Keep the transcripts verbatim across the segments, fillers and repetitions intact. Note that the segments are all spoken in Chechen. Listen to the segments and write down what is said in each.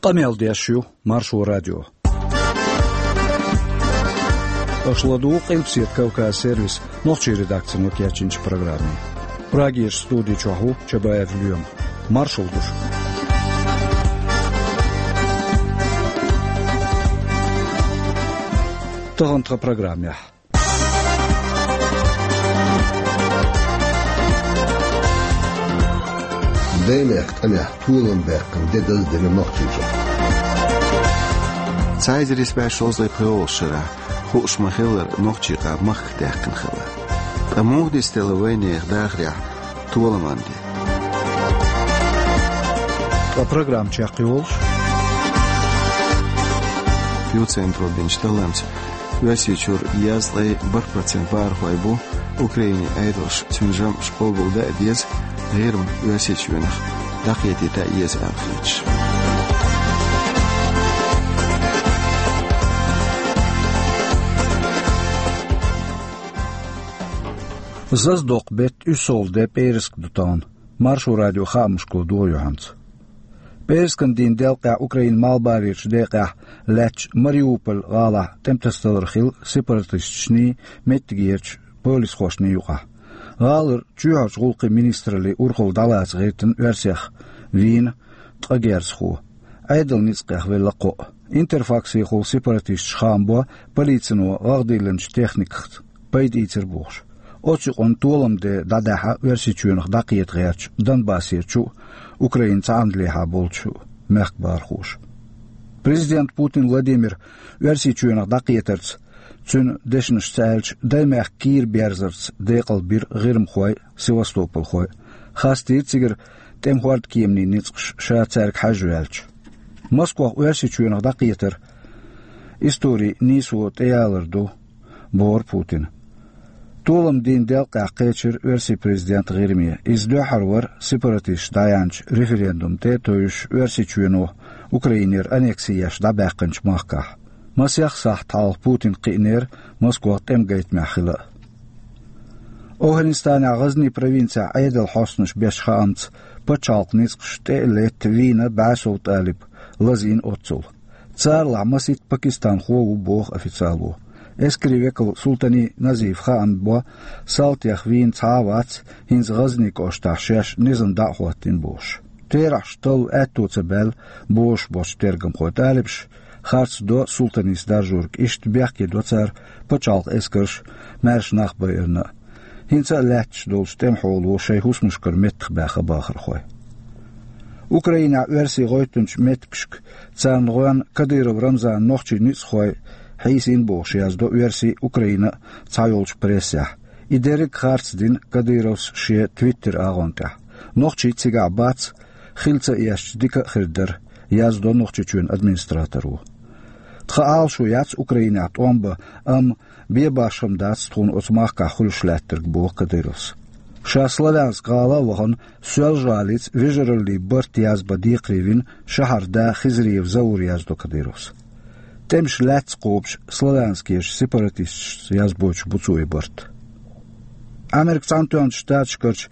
Къамел деш ю Маршо радио. Аша ладугӀу Къилбаседа Кавказ сервисан нохчийн редакцино кечйинчу программе. Прагерчу студи чохь ву Чабаев Лоьма. Маршалла ду шуьга. Тахана тхан программехь. Даймехкан тӀамехь толам баьккхина де даздина Нохчийчохь. Цхьа эзар исс бӀе шовзткъе пхоьалгӀачу шарахь, хууш ма-хиллара, нохчийн къам махках даьккхина хилла. Ткъа муха дицделла вайнехан дахарехь толаман де? Ткъа программа чекхйолуш, Пью-центро бинчу талламца Оьрсийчуьра езткъе бархӀ процент бахархой бу Украинин Ӏедалша цуьнан жамӀаш къобалдан а деза, ГӀирма Оьрсийчоьнах дӀакхетийта а еза аьлла хеташ. Зазадоккху беттан уьссалгӀа де пӀераска ду тахана. Маршо радион хаамашкахула догӀу юьхьанца. ПӀераскан дийнан делкъехь Украинан малхбалерчу декъехь лаьттачу Мариуполь гӀалахь тӀематасадалар хилла сепаратисташний, меттигерчу полисхошний юкъахь. ГӀалара чоьхьарчу гӀуллакхийн министраллин урхалла дӀалаца гӀиртина оьрсех вийна ткъа герзахо. Ӏедалан ницкъех велла кхоъ. Интерфаксехула сепаратисташа хаам бо, полицино гӀагӀ диллинчу техникаца пайда ийцира бохуш. Оцу юкъанна толам де дӀадахьа Оьрсийчоьнах дӀакхета гӀертачу Донбассерчу а, Украинан цхьаьнакхетта болчу мехкан бахархоша. Президент Путин Владимира Оьрсийчоьнах дӀакхетарца, цуьнан дешнашца аьлча, Даймехкан кийра берзарца декъалбира гӀирмахой а, севастопольхой а. Хастийра цигара тӀеман хӀордкеманийн ницкъаш, ша цаьрга хьаьжжаваьлча. Москох Оьрсийчоьнах дӀакхетар историн нийсо тӀеялар ду, бохура Путина. Толам дийнан делкъехь кхечира оьрсийн президент ГӀирме. Иза дуьххьара вара сепаратисташа дӀаяьхьначу референдум тӀе а тевжаш Оьрсийчоьно Украинера аннекси еш дӀабаьккхинчу махкахь. Масех сахьт хьалха Путинна кхиънера Москох тӀеман гайтамехь хила а. АфгӀанистанехь ГӀазнин провинцехь Ӏедалан хьостанаша бечу хаамца, пачхьалкхан ницкъаш тӀе а летта вийна бӀе сов талиб лазийна оццул. Царалахь масийтта пакистанхо а ву, боху официало. Эскарийн векало Султани Назифа хаам бо, салтех вийна цхьа а вац, хӀинца ГӀазнин кӀоштахь шаьш низам дӀа а хӀоттийна бохуш. Терахьаш талла аьтто ца баьлла, бозуш болчу тергамхойн, талибаша харц до Султанис даржорг, иштта бехке до цара пачхьалкхан эскарш а, маьрша нах байарна а. ХӀинца а лаьтташ долчу тӀеман хьоло шайн хӀусамашкара меттахбаьхна бахархой. Украинехь оьрсийн гӀевттинчу меттигашка царна гӀоьнна Кадыров Рамзанан нохчийн ницкъахой хьийсийна бохуш яздо оьрсийн а, Украинан а цхьайолчу прессехь. И дерриг а харц дина Кадыровс шен Twitter агӀон тӀехь. Нохчий цигахь бац, хила ца эшча дика а хир дара, яздо Нохчийчоьнан администраторо. Тхан Ӏалашо яц Украинехь тӀом бан, амма бен башха хӀума дац тхуна оцу махкахь хуьлуш лаьттарг, боху Кадыровс. Ша Славянск гӀала а вахана, Соьлжа-ГӀалица вежараллин барт язбан декхаре вина шахьаран да Хизриев Заура, яздо Кадыровс. ТӀемаш лаьцна кхобуш Славянскерчу сепаратисташца язбойтуш бу цо и барт. Америкин Цхьаьнатоьхначу Штаташкарчу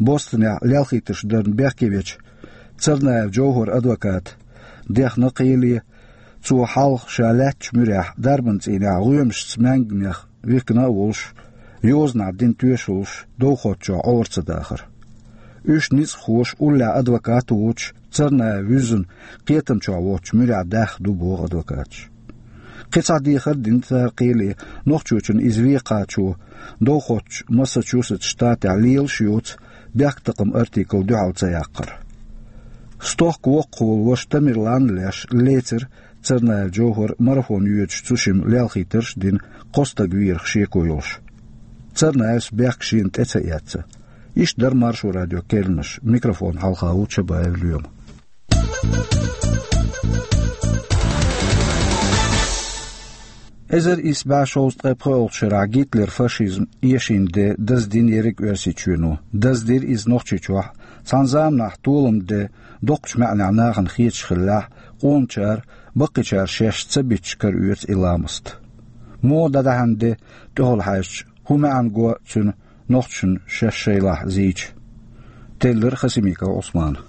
Бостонехь лелхийтарш дарна бехке вечу Царнаев Джовхаран адвоката дехна кхеле, цо хьалха ша лаьттачу муьрехь дарбан цӀийнехь гӀоьмашца маьнганех вихкина а волуш, йозанехь дина тоьшаллаш довхоччохь Ӏора ца дахар. Уьш ницкъахоша уллехь адвокат а воцуш, Царнаев вуьззина кхетамчохь воцучу муьрехь даьхна ду, боху адвокаташа. Кхин цхьа дехар а дина цара кхеле, Нохчийчунна иза вен кхачо довхоччу Массачусетс штатехь лелаш а йоцу, бехктакхаман артикл дуьхьал ца яккхар. Стохка воккхахволу ваша Тамерлан а леш лецира Царнаев Джовхар марафон йоьдуш, цу шимма лелхийтарш а дина, кхо стаг вийрах шеко йолуш. Царнаевс бехк шена тӀе ца эцна. Иштта дара Маршо радион керланаш. Микрофон хьалха ву Чабаев Лоьма. Эзар исс бӀе шовзткъе пхоьалгӀачу шарахь Гитлеран фашизм эшийна де даздина ерриг Оьрсийчоьно. Даздира иза Нохчийчохь. Цхьана заманахь толам де доккхачу маьӀнехь нахана хеташ хиллехь, къоначара, баккхийчара шаьш ца битташ караоьцу и ламаст. Муха дӀадаьхьна де, тӀехула хьаьжча, хӀун маьӀна го цуьнан нохчашна шаьш шайлахь зийча? Теллира Хасимиков Ӏусмана.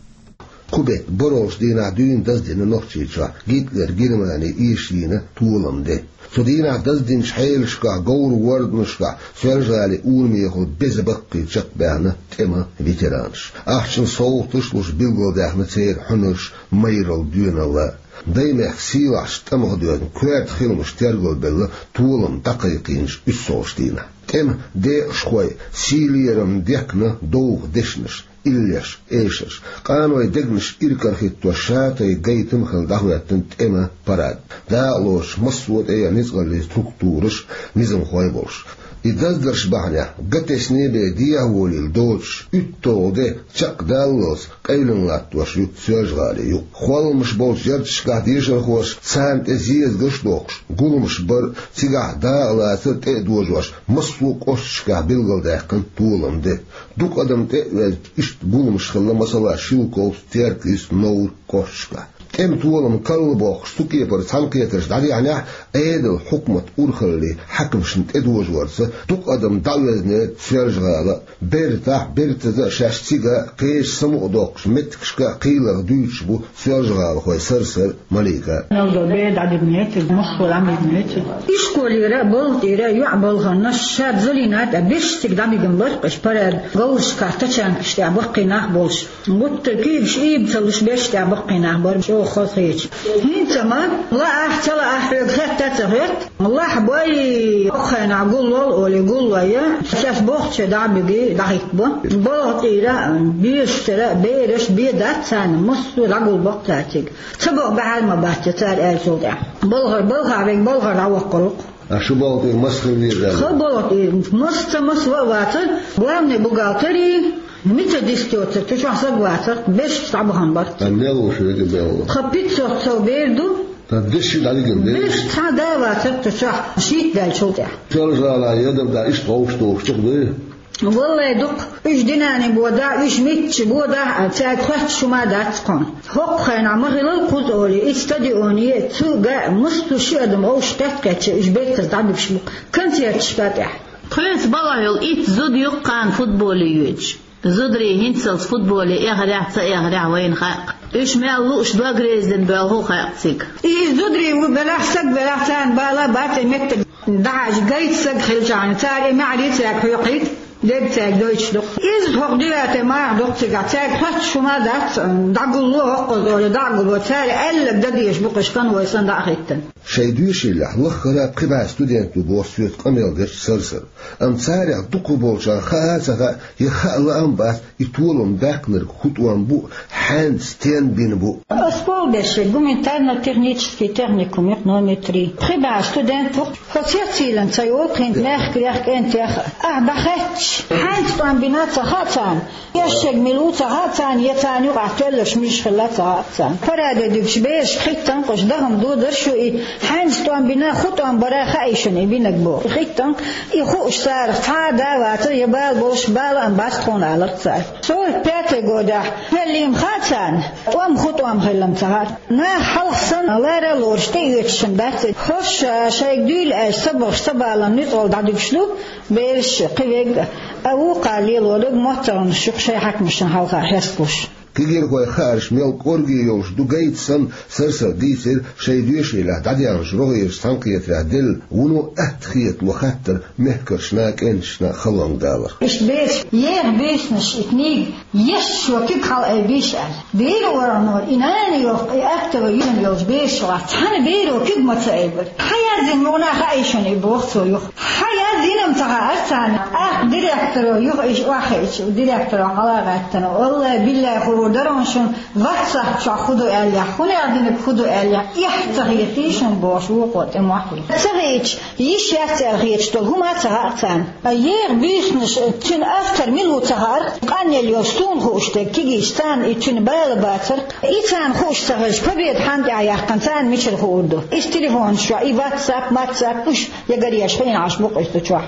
Кху бетта бархӀ дийнахь дуьйна даздина Нохчийчохь Гитлер Германи эшийна толам де. Цу дийнахь даздинчу хьелашкахь, говр-ворданашкахь Соьлжа-ГӀалин урамехула беза баккхий чекхбаьхна тӀеман ветеранаш. Ахчанан совгӀаташ а луш, билгалдаьхна церан хьуьнарш майралла доьналла. Даймехкан сийлахьчу тӀамах доьзна, коьрта хиламаш тергалбелла толам дӀакхайкхийначу уьссалгӀачу дийнахь. ТӀеман декъашхой сий-лерам дехкина довха дешнаш, иллеш, эшарш, къанойн дегнаш иракарахӀиттош шатайпа гайтам а хилла дӀахӀоьттина тӀеман парад. Дакъалоцуш массо а тӀех ницкъаллин структураш, низамхой а болуш. И даздарш бахьанехь гатесна бен дехьаволийла доцуш, уьтталгӀа де чекхдаллалц къевлина латтош ю Соьлжа-ГӀалин юкъ. Холламаш болчу ярташкахь дешархоша царна тӀе зезагаш а дохкуш, гуламаш бар а, цигахь дакъалацар а тӀе а дожош, массо а кӀошташкахь билгалдаьккхина толам де. Дукха адам тӀе а ваьзна, иштта гуламаш хилла, масала, Шелковск, Теркйист, Новр кӀошташкахь. ТӀеман толам карла боккхуш, цу кепара цхьаьнакхетарш дӀадехьнехь, Ӏедалан, хьукматан урхаллин хьаькамашна тӀедожорца дукха адам дӀавоьзнера Соьлжа-ГӀала. Бертахь а, бертаза а шаьш цига а, кхечу самукъадоккхучу меттигашка а кхийларх дуьйцуш бу соьлжа-гӀалахой Сарсар а, Малика а. Нелдо бер дӀадигнера, массо а дӀадигнера. Ишколера а, балха тӀера а, йоӀ балхарна а, шад Залина тӀе а, берш цига дӀадигна бара-кх уьш парад, говрашкахь тачанкаш тӀехь баккхий нах болуш. Гуттар а куьйгаш ийба ца луш, берш тӀехь баккхий нах бара, чӀогӀа хазахеташ. ХӀинца ма, лаахь, ца лаахь, хьоьга хетта а ца хетта, лахь бой, хӀокху хенахь гуллол олий гуллой, шаьш бохучче дӀа а бигий, дӀахӀиттабо. Балха тӀера а, бешаш тера а, бераш бен дац царна, массо а дӀагулбо-кх цара цига. Ца боху бахьана ма бац, я цара аьллачул тӀаьхьа. Балхара балхахь верг балхара дӀавоккхур ву-кх. А шу балха тӀера маса хила везара? Ха балха тӀера маса ца маса ва а вацара, главный бухгалтерий, методист йоцург, цу чохь саг вацара, берш дӀабахана бара. А мел ву шуьга мел ву? Тхан пятьсот сов бер ду. Ткъа деши дӀадигина берш? Берш цхьа а да а вацара цу чохь, шийтта даьллачул тӀаьхьа. Соьлжа-ГӀала ядам да иштта вовшах тухуш чу дуй? Валлай, дукха. Уьш динани бодахь, уьш мичча бодахь а, цаьрга хоьттуш хӀума дац тхуна. ХӀокху хенахь ма хилла кхуза олий, и стадионе а, цу гай а массо а ши адам вовшах кхетта-кхетча, уьш бертаза дӀадуьгуш бу концерташка тӀехь. Тхоьца балхахь йолу итт зуда ю-кх кхана футболе йоьдуш. Зударий хӀинццалц футболе эхарехь а, ца эхарехь а вайна хаьа-кх. Уьш мел лууш дог резина боьлху а хаьа-кх цига. И зударий ву белахь, саг велахь, царна бала а бац и меттиг. ДӀахьажа гайта саг хилчахьана, цара и маьӀарий цаьрга хьоькхуьйту, дерг цаьрга дойтуш ду-кх. Иза хӀокху девятый махах ду-кх цигахь, цаьрга хоьттуш хӀума дац, дӀагулло хӀоккхуза олий, дӀа а гулло, цара аьлларг дан дезаш бу-кх уьш, конвой санна дӀа а хӀиттина. Шайн доьшийлахь лаххара а пхи бӀе студент ду боху соьца къамел дерш Сарсара. Амма царех дукхахболчарна хаа а ца хаьа, я хаа лаам а бац, и толам баьккхинарг хӀун тӀом бу, хьаьнца стенна бина бу. Ас болх беш гуманитарно-технический техникум ю-кх номер три. Пхи бӀе студент ву-кх. Хьо цецйиллина ца йолу кхин мехкарех, кӀентех, ахь дӀахаьттича, хьаьнца тӀом бина ца хаьа царна, эшшаг мила ву ца хаьа царна, я царна юкъахь тоьлларш муьлш хилла ца хаьа царна. Параде дуьгуш берашка хӀиттина-кх уьш, дахам ду дара шу и, хьаьнца тӀом бина, хӀун тӀом бара хаьий шуна и бинарг боху. ХӀиттина-кх, и хууш царах цхьа а да а вацара, я бала болуш, бала а бац тхуна алара цара. Сорок пятый годехь хӀеллийна хаьа царна, тӀом хӀун тӀом хилла ца хаьа. Наха хьалха санна, лара а лоруш, тӀеоьцуш-м дац и. ХӀорш шайга дуьйла аьлча, ца бахаш, ца баланна нуьцкъала дӀадуьгуш ду бераш, кхин верг а, вукхара лелориг моттаргӀанаш ю-кх шайн хьаькамашна хьалха хьесталуш. Кегийрхойн хаарш мел кӀорге йолуш ду гайта санна, Сарсара дийцира шайн доьшийлахь дӀадаьхначу рогӀерчу цхьаьнакхетарехь делла вуно атта хетало хаттар мехкаршна а, кӀенташна а халонга далар. Иштта бераш еха буьйсанаш и книга еш, шо куьг хьалаайбийша аьлла. Беран органо и нана йохку, и актовый юьззина йолчу бераш чохь цхьана беро куьг ма ца айбира. Хьан яздина ма ву, хаьий шуна и, боху цо юха. Хьан яздина-м ца хаьара царна. ТӀаккха директоро юха иштта охьахиъча, директоро хьала а гӀаьттина, валлай, биллай, хуур дара-кх шуна, ватсап чохь хӀун ду аьллехь, хӀун яздинарг хӀун ду аьллехь, эхь ца хетий шуна, бохуш, вукхо тӀе мохь ву. Ца хиъча, йиш яц аьлла хеташ долу хӀума а ца хаьа царна. Еха буьйсанаш, цуьнан автор мила ву ца хаьара, къанъелла йолуш суна хууш дерг кегийчу царна и цуьнан бала бацара, и царна хууш ца хилча, Победа хьанна тӀехь яьккхина, царна мичара хуур ду? Иза телефонаш чохь, и ватсап, матсап, уьш я гареш хиъна Ӏаш бу-кх иза цу чохь.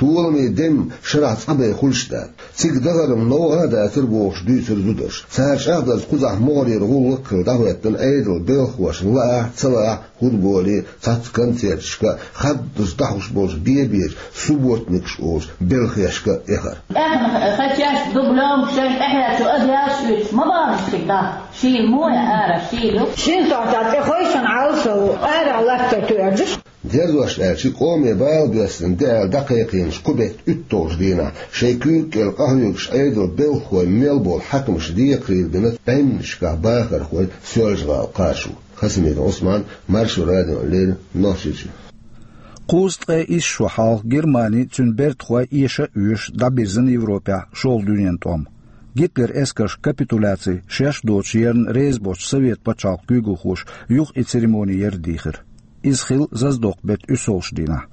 Толаман дем шарахь цкъа бен хуьлуш дац. Цига дахаран новкъа а дацара бохуш дуьйцура зударша. Цара чӀагӀдарца кхузахь могӀарера гӀуллакх а хилла дӀахӀоьттина Ӏедалан белхалошна лаахь, ца лаахь, футболе, цхьацца концерташка, хаддаза дӀахьош болчу бен-бечу субботникаш олучу белхешка а эхар. ТӀаьхьа хачеш дублёнка шайн тӀаьхьа чу адъяш уьйцуш ма бахьаш цига дӀа. Шийла мо я ара, шийла ю. Шина сохьта тӀе хойшина Ӏалашо ву, ара латта тоьржуш. Дерзош аьлча, къоме бала доьссина де аьлла дӀакхайкхийначу кху беттан уьтталгӀачу дийнахь шайн куьйга кӀел къахьоьгуш Ӏедалан белхахой мел болу хьаькамаш декхарийлахь бина бӀеннашкахь бахархой Соьлжа-ГӀала кхачо. Хасимиков Ӏусман, Маршо радиона леррина, Нохчийчоь. Кхузткъе исс шо хьалха Германи, цуьнан бертахой эша а оьшуш, дӀабирзина Европехь шолгӀа дуьненан тӀом. Гитлеран эскарша капитуляци шаьш доцуш ярна реза боцчу Совет пачхьалкхан куьйгалхоша юха и церемони ярдийхира. Иза хилла Заздокъ-беттан уьссалгӀачу дийнахь.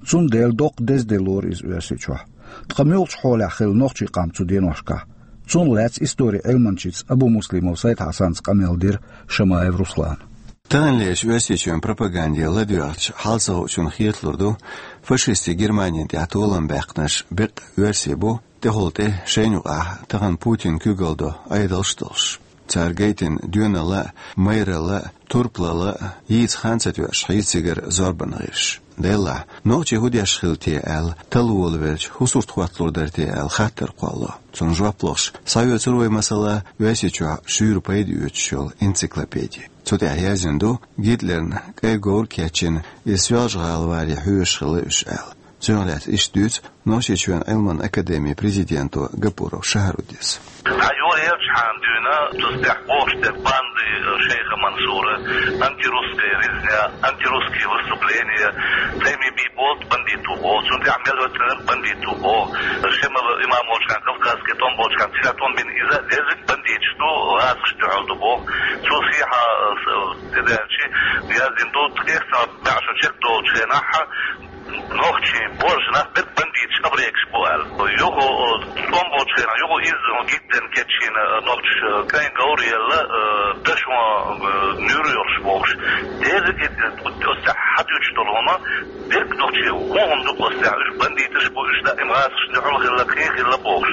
Цундела доккха деза де лору иза Оьрсийчохь. Ткъа муьлхачу хьолехь хилла нохчийн къам цу деношкахь? Цунах лаьцна историн Ӏилманчица Абумуслимов Сайд-Хьасанца къамел дира Шамаев Руслана. Таханлерчу Оьрсийчоьнан пропаганде ладоьгӀча, хьалсагӀучунна хеталур ду, фашистийн Германина тӀехь толам баьккхинарш беккъа оьрсий бу, тӀехула тӀе шайна юкъахь тахана Путинна куьйгалла до Ӏедалш а долуш. Цара гайтина доьналла а, майралла а, турпалалла а, йийца хан ца тоьуш хьийза цигара зорбанан гӀирсаш. Делахь, нохчий хӀун деш хилла те аьлла, талла волавелча, хӀун сурт хӀотталур дара те аьлла хаттар кхоллало. Цунна жоп лохуш, схьаоьцур вай, масала, Оьрсийчохь шуьйра пайда оьцуш йолу энциклопеди. Цу тӀехь яздина ду Гитлерна кӀайн говр а кечйина, и Соьлжа-ГӀала варе хьоьжуш хилла уьш аьлла. Цунах лаьцна иштта дуьйцу Нохчийчоьнан Ӏилманан академин президенто Гапуров Шахьаруддис. Цхьа юьра елчахьана дуьйна, цу тӀехь бохуш дерг банды, э, шайха Мансура, антирусская резня, антирусские выступления, цӀе ма бий боху бандиту боху, цунна тӀехь мел хӀоьттина бандиту боху. Шемала имам волчхьана, Кавказский тӀом болчхьана, цигахь тӀом бина иза дезиг бандиташ ду, гӀазкхашна дуьхьал ду боху. Цо сехьа, э, с-, тӀедаьлча, яздина ду, ткъех цхьа бӀе шо чекхдолучу хенахь, нохчийн боржанах берг бандиташ, абрекаш бу аьлла. Юха, э, тӀом болчу хенахь, юха изза гиттина кечйина, э, нохчаша, э, кӀайн говр а елла, э, дашон, э, нуьйр а йолуш бохуш. Деза и, э, оцу тӀехь хьадуьйцуш долу хӀума, берг нохчий хӀун хӀума ду оцу тӀехь, уьш бандиташ бу, уьш даим гӀазкхашна дуьхьал хилла, кхин хилла бохуш.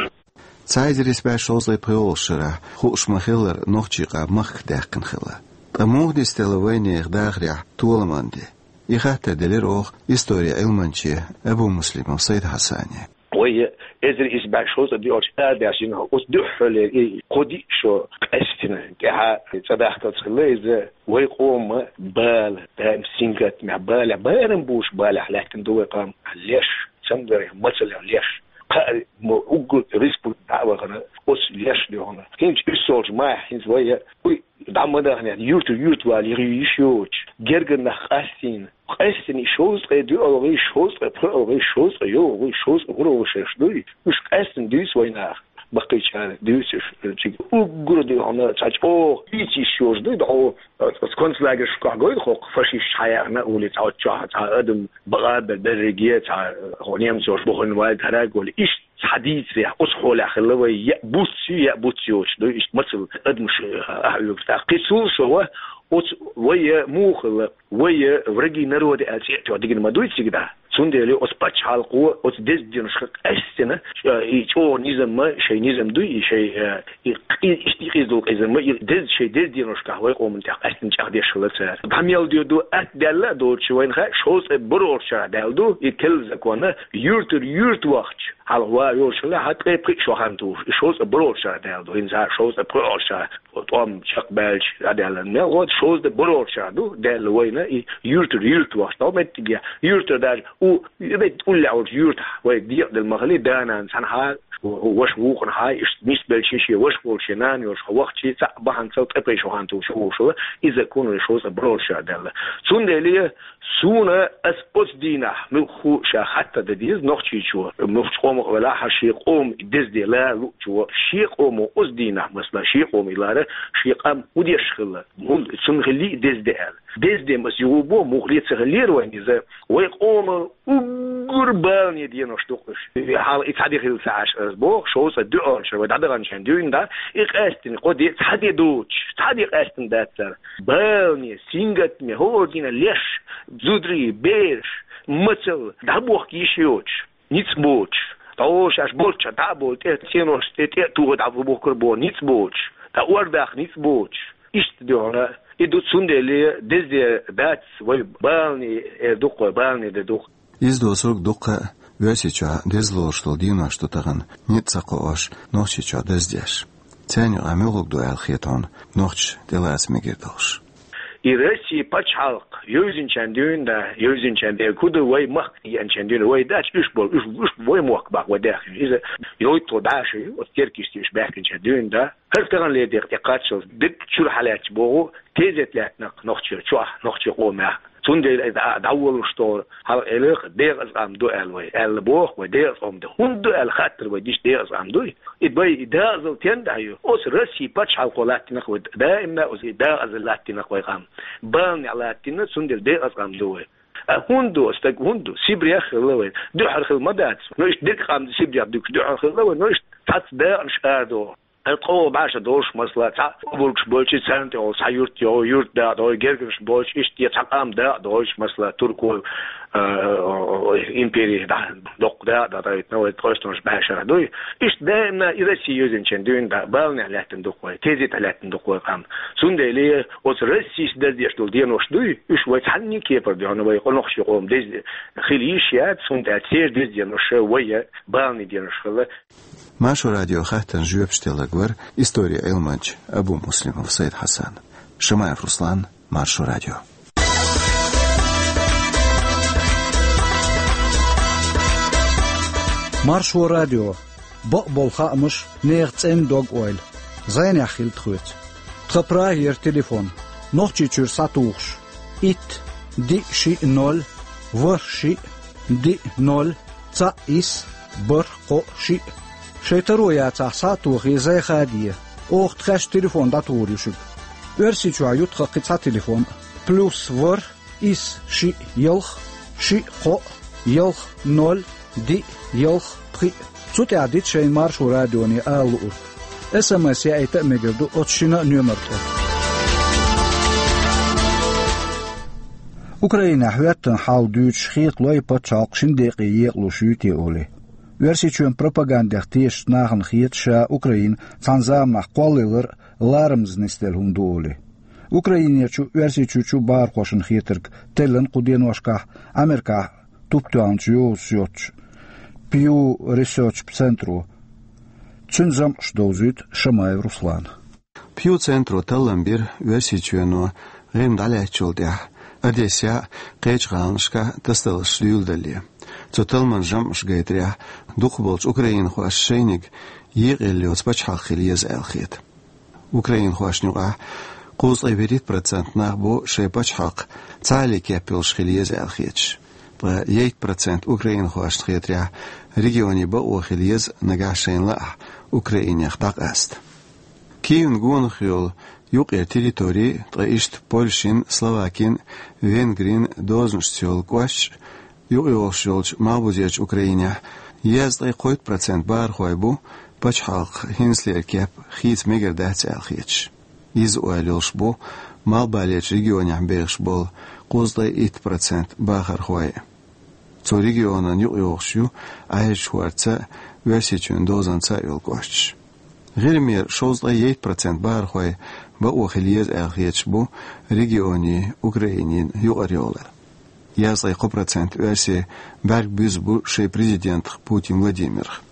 Цхьа эзар исс бӀе шовзткъе пхоьалгӀачу шарахь хууш ма-хиллара, нохчийн къам махках даьккхина хилла. Ткъа муха дисделла вайнехан дахарехь толаман де? И хаттар делира оха историн Ӏилманче Абумуслимов Сайд-Хьасане. Вай эзар исс бӀе шовзткъе диъалгӀачу шарахь а даьхкина, оцу дуьххьарлера и кхо-диъ шо къаьстина тӀаьхьа цӀа дахкалц хилла иза, вай къоман бала, даим сингаттамехь, балехь, барам буьйцуш балехь лаьттина ду вай къам. Леш, цамгарехь, мацаллехь леш. Кхаа мо уггар республика дӀа а вахана, оцу леш дуьхьал. ХӀинца уьссалгӀачу майхь хӀинца вай, уй, дӀа ма даханехь, юьртара юьрта вала йиш йоцуш, гергара нах къастийна. Къаьстина и шовзткъе диъалгӀий, шовзткъе пхоьалгӀий, шовзткъе йоьалгӀий, шовзткъе кхоалгӀий шераш дуй, уьш къаьстина дуьйцу вайнах. Баккхийчара дуьйцуш, цига уггар а дуьхьал цхьа чӀогӀа ийца йиш йолуш дуй, дӀо оцу концлагершкахь гойла хӀокху фашисташ хьаяьхна, улица оцу чохь цхьа адам бакъа а бер-, берриге цхьа, хӀокху немцоша буханваьлла, хӀара а гойла. Иштта цхьа дийцарехь, оцу хьолехь хилла вай, яа буц ю, яа буц йоцуш дуй, иштта мацалла адамаш, а, ахьа оьгуш тӀаккха. Кхин цул совгӀа, оцу вай муха хилла, вай враги народа аьлла цӀе а тоьхна дигна ма дуй цига дӀа. Цундела оцу пачхьалкхо оцу деза деношка къаьстина, э, и чӀогӀа низам ма, шайн низам дуй, и шайн, э, и къи-, иштта и къиза долу къиза ма, и деза, шайн деза деношкахь вай къоман тӀехь къаьстина чӀагӀдеш хилла цара. ДӀа мел дуьйр ду, атта даьлла а доцуш вайна хаьа, шовзткъе бархӀалгӀачу шарахь даьлла ду, и келла закон а, юьртара юьрта вахча, хьалха ван йолуш хилла, хьан ткъе пхиъ шо хан тухуш, и шовзткъе бархӀалгӀачу шарахь даьлла ду, хӀинца хьан шовзткъе пхоьалгӀачу шарахь тӀом чекхбаьлча дӀадаьлла. Мел гӀо, шовзткъе бархӀалгӀачу шарахь ду, даьлла вайна и юьртара юьрта вахча. ТӀом меттиге юьртара даже у, и бетта уллехь волчу юьртахь вай декъаделла ма хилла, да-нана цхьанхьа, ваша вукхунхьа, иштта нисбелча шен ваша волуш, шен нана йолуш хьо вахча, цхьаъ бахьанца ткъе пхиъ шо хан тухуш ву хилла, иза кхунна шовзткъе бархӀалгӀачу шарахь даьлла. Цундела аса оцу дийнахь муьлхха ша хаттар дан деза нохчийчо, муьлххачу къомах а велахь, шен къоман деза де лара луучо, шен къомо оцу дийнахь, масала, шен къомо и лара, шен къам хӀун деш хилла, хӀун, цунна хиллий деза де аьлла. Деза де аса юха боху, муха ле ца хиллера вайна иза, вай къоман уггар балане денош ду-кх уьш. Хьалха и цхьа де хилла ца Ӏаш аса боху, шовзткъе диъалгӀачу шарахь вай дӀадаханчохь дуьйна дӀа, и къаьстина кхо де, цхьа де доцуш, цхьа де къаьстина дац цара. Балане, сингаттаме, хӀора дийнахь леш, зударий, бераш, мацалла, дӀабохка йиш йоцуш. Ницкъ боцуш, дӀо шаьш болчча дӀа а болу, тӀе цӀенош тӀе, тӀе а туху дӀа бу бохкур боху, ницкъ боцуш, дӀа ордах ницкъ боцуш. Иштта дуьхьал, и ду, цундела дезде дац вай баланийн эр ду-кх вай, баланийн де ду-кх. Иза доцург дуккха а Оьрсийчохь деза лоруш долу денош ду тахана, ницкъ ца кхоош, Нохчийчохь даздеш. Царна юкъахь муьлхарг ду аьлла хета хьуна нохчаша тӀелаца мегар долуш? И Россин пачхьалкх йовзинчарна дуьйна, да, йовзинчарна дуьйна, кху ду вай махка еанчарна дуьйна, вай дац уьш болу, уьш, уьш вай мохк бакъ вай даьхкина. Иза йовтта бӀе шо ю, оцу Теркийчохь уьш баьхкинчарна дуьйна, да. ХӀара тахана ледех тӀекхаччалц дерг чуьра хьалаьтташ боху, тезет лаьттина-кх Нохчийчу чохь, нохчийн къомехь. Цундела иза а дӀаволуш тохара хьалха элира, декъаза къам ду аьлла вай, аьлла боху вай, декъаза къам ду. ХӀунда ду аьлла хаттар вай дича, декъаза къам дуй? И бай, и декъазалла стенна дӀа ю? Оцу Россин пачхьалкхо латтийна-кх вай, даимна оцу декъазалла латтийна-кх вай къам. Баланехь латтийна, цундела декъаза къам ду вай. А хӀунда ду, стаг хӀунда ду? Сибрех хилла вай. Дуьххьара хилла ма дац. Но иштта дерриг къам Сибрех дуьгуш дуьххьара хилла вай, но иштта цхьацца дакъанаш арадоху. Ткъа бӀе шо долуш, масала, цхьа облакаш болчу, царна тӀехула цхьа юрт йогӀу, юрт дакъа догӀу, гергарнаш болчу, иштта цхьа къам дакъа догӀуш, масала, туркойн, а, импери доккха дакъа дӀадойтина вай тхойстонаш бӀе шарахь дуй. Иштта даимна и Росси йовзинчарна дуьйна, да, баланехь лаьттина ду-кх вай, тезетехь лаьттина ду-кх вай къам. Цундела оцу Россис даздеш долу денош дуй, уьш вай цхьанний кепара дуьхьал вай къонахчийн къоман деза хила йиш яц, цундела церан деза денош вай баланийн денош хила. Маршо радион хаттарна жоьпаш делларг вара историн Ӏилманча Абумуслимов Сайд-Хьасан. Шамаев Руслан, Маршо радио. Маршо радио. Бакъболу хаамаш, нехан цӀена дог-ойла. Зайнехь хила тхоьца. Тхан Прагера телефон. Нохчийчуьра схьатухуш: итт, диъ, шиъ, ноль, ворхӀ, шиъ, диъ, ноль, цхьаъ, исс, бархӀ, кхоъ, шиъ. Шайн таро яцахь, схьа а тохий, зай хаде. Оха тхаьш телефон дӀатухур ю шуьга. Оьрсийчохь ю тхан кхин цхьа телефон: плюс ворхӀ, исс, шиъ, ялх, шиъ, кхоъ, ялх, ноль, диъ, ялх, пхиъ. Цу тӀехь дита шайна Маршо радионе ала луург. СМС яийта а мегар ду оцу шина а номер тӀе. Украинехь хӀоьттина хьал дуьйцуш хеталой пачхьалкх шина декъе екъалуш юй те олий. Оьрсийчоьнан пропагандех тешачу нахана хета ша Украина цхьана заманахь кхоллаялар а ларамаза нисделла хӀума ду олий. Украинерчу, Оьрсийчуьрчу бахархошна хетарг теллина кху деношкахь Америкахь туп тоьхначу йозуш йоцчу Pew Research центро. Цуьнан жамӀаш довзуьйту Шамаев Руслана. Pew центро таллам бира Оьрсийчоьно ГӀирма дӀалаьцначул тӀаьхьа Одессехь а, кхечу гӀаланашкахь а тасадаларш дуьйладалале. Цу талламан жамӀаша гайтарехь, дукхахболчу украинхошна шайниг екъаелла йоцу пачхьалкх хила еза аьлла хета. Украинхошна юкъахь кхузткъе вуьрхӀитта процент нах бу шайн пачхьалкх цхьаалле кеп йолуш хила еза аьлла хеташ. Ткъа ейтта процент украинхошна хетарехь, регионе бакъо хила еза нагахь шайна лаахь Украинех дӀакъаста. Киевна гонах йолу юккъера территори, ткъа иштта Польшин, Словакин, Венгрин дозанашца йолу кӀошташ, юкъайогӀуш йолчу Малхбузерчу Украинехь дезткъе кхойтта процент бахархой бу пачхьалкх хӀинцалера кеп хийца мегар дац аьлла хеташ. Иза ойла йолуш бу Малхбалерчу регионехь бехаш болу кхузткъе итт процент бахархой. Цу регионан юкъайогӀуш ю Ӏаьржачу хӀордца а, Оьрсийчоьнан дозанца а йолу кӀошташ. ГӀирмера шовзткъе ейтта процент бахархой бакъо хила еза аьлла хеташ бу регионийн, Украинин юкъара йолу. Езткъе кхо процент оьрсий бӀаьрг буьзна бу шайн президентах Путин Владимирах.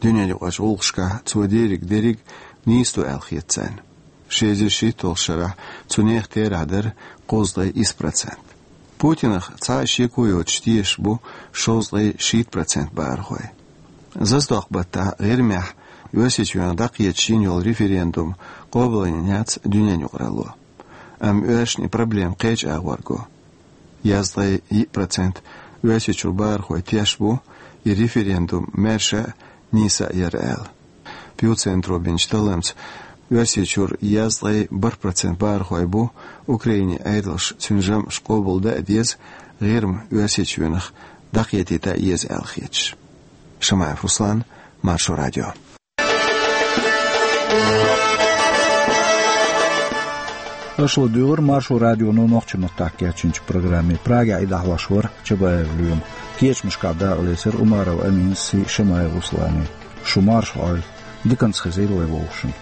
Дуьненаюкъарчу гӀуллакхашкахь цо дийриг дерриг нийса ду аьлла хета царна. Ши эзар шийтталгӀачу шарахь цу нехан терахь дара кхузткъе исс процент. Путинах цхьа а шеко йоцуш тешаш бу шовзткъе шийтта процент бахархой. Зазадоккху баттахь ГӀирмехь Оьрсийчоьнах дӀакхеташ йина йолу референдум къобалйина яц дуьненаюкъаралло. Амма оьрсашна и проблема кхечу агӀор го. Езткъе йиъ процент Оьрсийчуьра бахархой тешаш бу и референдум маьрша а, нийса а яра аьлла. Pew центро бинчу талламца, Оьрсийчуьра езткъе бархӀ процент бахархой бу Украинин Ӏедалша цуьнан жамӀаш къобалдан а деза, ГӀирма Оьрсийчоьнах дӀакхетийта а еза аьлла хеташ. Шамаев Руслан, Маршо радио. Аша ладуьйгӀира Маршо радионо нохчийн маттахь кечйинчу программе. Прагехь и дӀахьош вара Чабаев Лоьма. Кечамашкахь дакъалецира Умаров Аминас а, Шамаев Руслана а. Шу марша Ӏойла, диканца хезийла вай вовшашна.